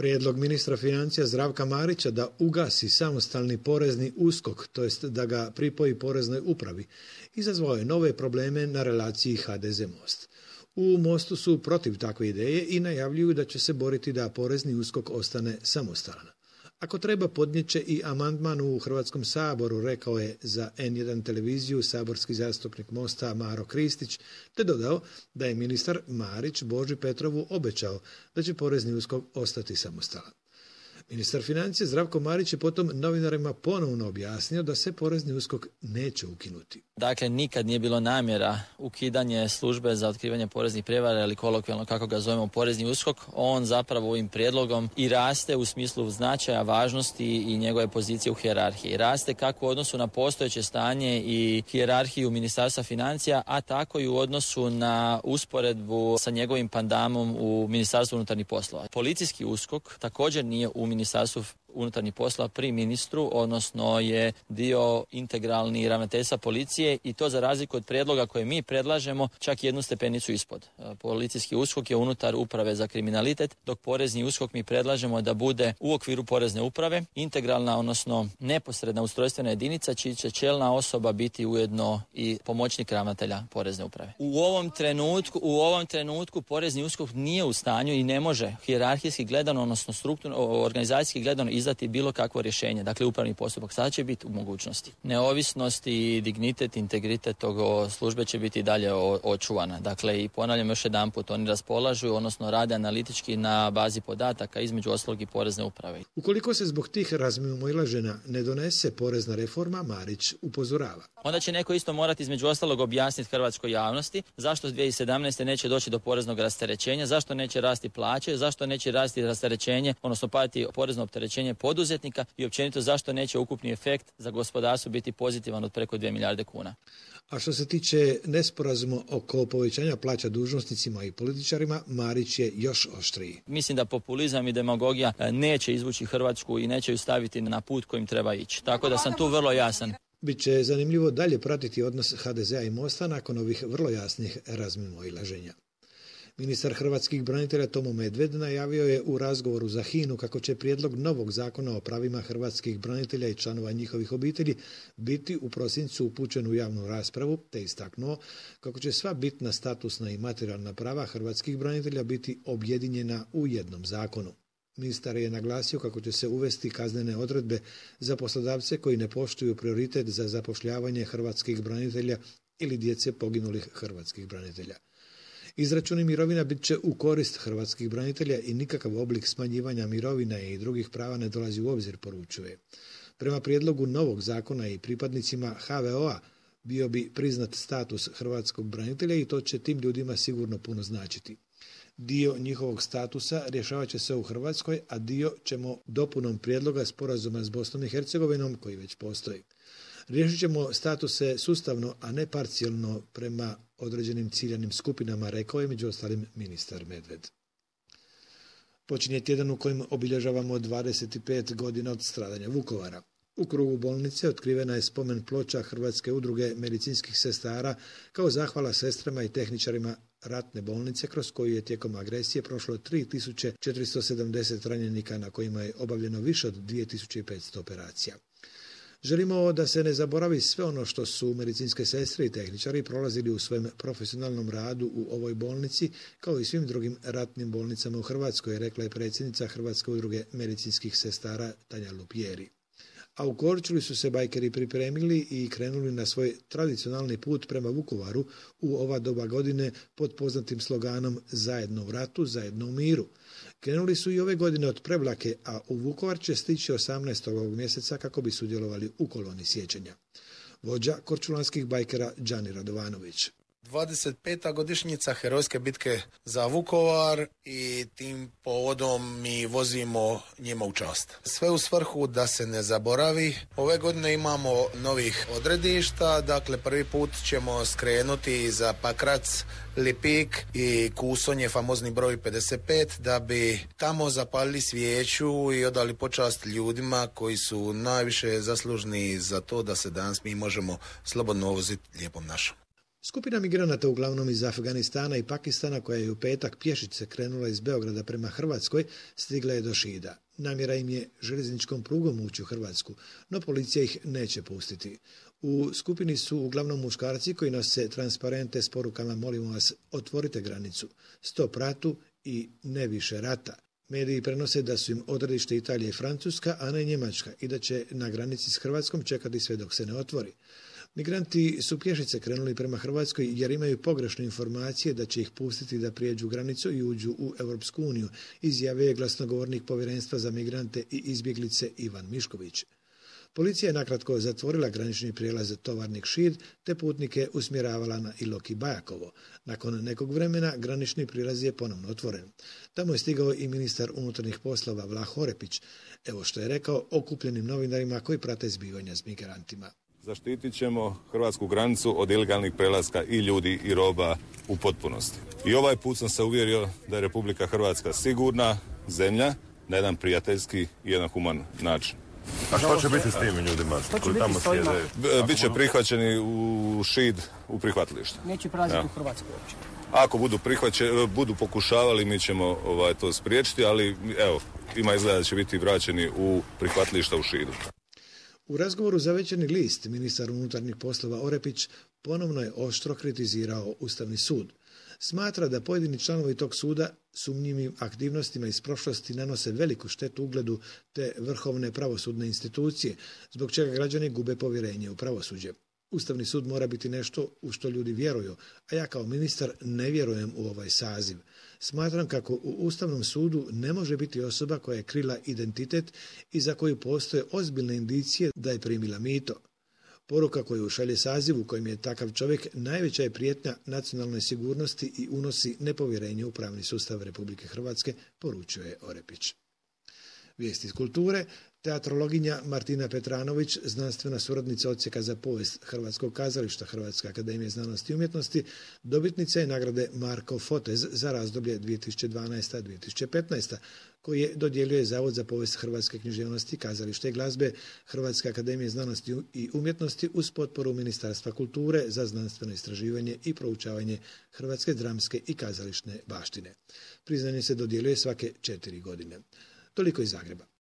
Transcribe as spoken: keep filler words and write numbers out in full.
Prijedlog ministra financija Zdravka Marića da ugasi samostalni porezni USKOK, to jest da ga pripoji poreznoj upravi, izazvao je nove probleme na relaciji ha de ze Most. U Mostu su protiv takve ideje i najavljuju da će se boriti da porezni USKOK ostane samostalan. Ako treba, podnijet će i amandman u Hrvatskom saboru, rekao je za en jedan televiziju saborski zastupnik Mosta Maro Kristić, te dodao da je ministar Marić Boži Petrovu obećao da će porezni USKOK ostati samostalan. Ministar financija Zdravko Marić je potom novinarima ponovno objasnio da se porezni USKOK neće ukinuti. Dakle, nikad nije bilo namjera ukidanje službe za otkrivanje poreznih prijevara ili kolokvijalno kako ga zovemo porezni USKOK. On zapravo ovim prijedlogom i raste u smislu značaja, važnosti i njegove pozicije u hijerarhiji. Raste kako u odnosu na postojeće stanje i hijerarhiju Ministarstva financija, a tako i u odnosu na usporedbu sa njegovim pandamom u Ministarstvu unutarnjih poslova. Policijski USKOK također nije u Ministarstvu unutarnjih poslova pri ministru, odnosno je dio integralni ravnateljstva policije i to za razliku od prijedloga koje mi predlažemo čak jednu stepenicu ispod. Policijski USKOK je unutar uprave za kriminalitet, dok porezni USKOK mi predlažemo da bude u okviru porezne uprave, integralna, odnosno neposredna ustrojstvena jedinica čiji će čelna osoba biti ujedno i pomoćnik ravnatelja porezne uprave. U ovom trenutku, u ovom trenutku porezni USKOK nije u stanju i ne može hijerarhijski gledano, odnosno strukturno, organizacijski gledano izdati bilo kakvo rješenje, dakle upravni postupak. Sada će biti u mogućnosti. Neovisnost i dignitet, integritet tog službe će biti dalje očuvana. Dakle, i ponavljam još jedan put, oni raspolažu, odnosno rade analitički na bazi podataka, između ostalog i porezne uprave. Ukoliko se zbog tih razmimoilaženja ne donese porezna reforma, Marić upozorava. Onda će neko isto morati između ostalog objasniti hrvatskoj javnosti zašto dvije tisuće sedamnaeste. neće doći do poreznog rasterećenja, zašto neće rasti plaće, zašto neće rasti rasterećenje, odnosno padati porezno opterećenje poduzetnika i općenito zašto neće ukupni efekt za gospodarstvo biti pozitivan od preko dvije milijarde kuna. A što se tiče nesporazuma oko povećanja plaća dužnosnicima i političarima, Marić je još oštriji. Mislim da populizam i demagogija neće izvući Hrvatsku i neće ju staviti na put kojim treba ići. Tako da sam tu vrlo jasan. Biće zanimljivo dalje pratiti odnos ha de zea i Mosta nakon ovih vrlo jasnih razmimoilaženja. Ministar hrvatskih branitelja Tomo Medved najavio je u razgovoru za hinu kako će prijedlog novog zakona o pravima hrvatskih branitelja i članova njihovih obitelji biti u prosincu upućen u javnu raspravu, te istaknuo kako će sva bitna statusna i materijalna prava hrvatskih branitelja biti objedinjena u jednom zakonu. Ministar je naglasio kako će se uvesti kaznene odredbe za poslodavce koji ne poštuju prioritet za zapošljavanje hrvatskih branitelja ili djece poginulih hrvatskih branitelja. Izračuni mirovina bit će u korist hrvatskih branitelja i nikakav oblik smanjivanja mirovina i drugih prava ne dolazi u obzir, poručuje. Prema prijedlogu novog zakona i pripadnicima ha ve o-a bio bi priznat status hrvatskog branitelja i to će tim ljudima sigurno puno značiti. Dio njihovog statusa rješavat će se u Hrvatskoj, a dio ćemo dopunom prijedloga sporazuma s Bosnom i Hercegovinom koji već postoji. Riješit ćemo statuse sustavno, a ne parcijalno prema određenim ciljanim skupinama, rekao je među ostalim ministar Medved. Počinje tjedan u kojem obilježavamo dvadeset pet godina od stradanja Vukovara. U krugu bolnice otkrivena je spomen ploča Hrvatske udruge medicinskih sestara kao zahvala sestrama i tehničarima ratne bolnice kroz koju je tijekom agresije prošlo tri tisuće četiristo sedamdeset ranjenika na kojima je obavljeno više od dvije tisuće petsto operacija. Želimo da se ne zaboravi sve ono što su medicinske sestre i tehničari prolazili u svojem profesionalnom radu u ovoj bolnici, kao i svim drugim ratnim bolnicama u Hrvatskoj, rekla je predsjednica Hrvatske udruge medicinskih sestara Tanja Lupjeri. A u Korčuli su se bajkeri pripremili i krenuli na svoj tradicionalni put prema Vukovaru u ova doba godine pod poznatim sloganom Zajedno u ratu, zajedno u miru. Krenuli su i ove godine od Prevlake, a u Vukovar će stići osamnaestog ovog mjeseca kako bi sudjelovali u koloni sjećanja. Vođa korčulanskih bajkera Đani Radovanović. dvadeset peta godišnjica herojske bitke za Vukovar i tim povodom mi vozimo njima u čast. Sve u svrhu da se ne zaboravi. Ove godine imamo novih odredišta, dakle prvi put ćemo skrenuti za Pakrac, Lipik i Kusonje, famozni broj pedeset pet, da bi tamo zapalili svijeću i odali počast ljudima koji su najviše zaslužni za to da se danas mi možemo slobodno voziti lijepom našom. Skupina migranata uglavnom iz Afganistana i Pakistana koja je u petak pješice krenula iz Beograda prema Hrvatskoj stigla je do Šida. Namjera im je željezničkom prugom ući u Hrvatsku, no policija ih neće pustiti. U skupini su uglavnom muškarci koji nose transparente s porukama molimo vas otvorite granicu, stop ratu i ne više rata. Mediji prenose da su im odredište Italija i Francuska, a ne Njemačka i da će na granici s Hrvatskom čekati sve dok se ne otvori. Migranti su pješice krenuli prema Hrvatskoj jer imaju pogrešne informacije da će ih pustiti da prijeđu granicu i uđu u Europsku uniju, izjavio je glasnogovornik Povjerenstva za migrante i izbjeglice Ivan Mišković. Policija je nakratko zatvorila granični prijelaz Tovarnik Šid te putnike usmjeravala na Ilok i Bajakovo. Nakon nekog vremena granični prijelaz je ponovno otvoren. Tamo je stigao i ministar unutarnjih poslova Vlah Orepić. Evo što je rekao okupljenim novinarima koji prate zbivanja s migrantima. Zaštitit ćemo hrvatsku granicu od ilegalnih prelaska i ljudi i roba u potpunosti. I ovaj put sam se uvjerio da je Republika Hrvatska sigurna zemlja na jedan prijateljski i jedan human način. A što će biti s tim ljudima koji tamo sjede? Biće prihvaćeni u Šid u prihvatilište. Neće prelaziti u Hrvatsku uopće. Ako budu prihvaćeni, budu pokušavali, mi ćemo ovaj, to spriječiti, ali evo, ima izgleda da će biti vraćeni u prihvatilišta u Šidu. U razgovoru za Večernji list ministar unutarnjih poslova Orepić ponovno je oštro kritizirao Ustavni sud. Smatra da pojedini članovi tog suda sumnjivim aktivnostima iz prošlosti nanose veliku štetu ugledu te vrhovne pravosudne institucije, zbog čega građani gube povjerenje u pravosuđe. Ustavni sud mora biti nešto u što ljudi vjeruju, a ja kao ministar ne vjerujem u ovaj saziv. Smatram kako u Ustavnom sudu ne može biti osoba koja je krila identitet i za koju postoje ozbiljne indicije da je primila mito. Poruka koju šalje saziv u kojem je takav čovjek najveća je prijetnja nacionalnoj sigurnosti i unosi nepovjerenje u pravni sustav Republike Hrvatske, poručio je Orepić. Vijesti iz kulture. Teatrologinja Martina Petranović, znanstvena suradnica odsjeka za povijest Hrvatskog kazališta Hrvatske akademije znanosti i umjetnosti, dobitnica je nagrade Marko Fotez za razdoblje dvije tisuće dvanaesta do dvije tisuće petnaesta, koje dodjeljuje Zavod za povijest hrvatske književnosti, kazališta i glazbe Hrvatske akademije znanosti i umjetnosti uz potporu Ministarstva kulture za znanstveno istraživanje i proučavanje hrvatske dramske i kazališne baštine. Priznanje se dodjeljuje svake četiri godine. Toliko iz Zagreba.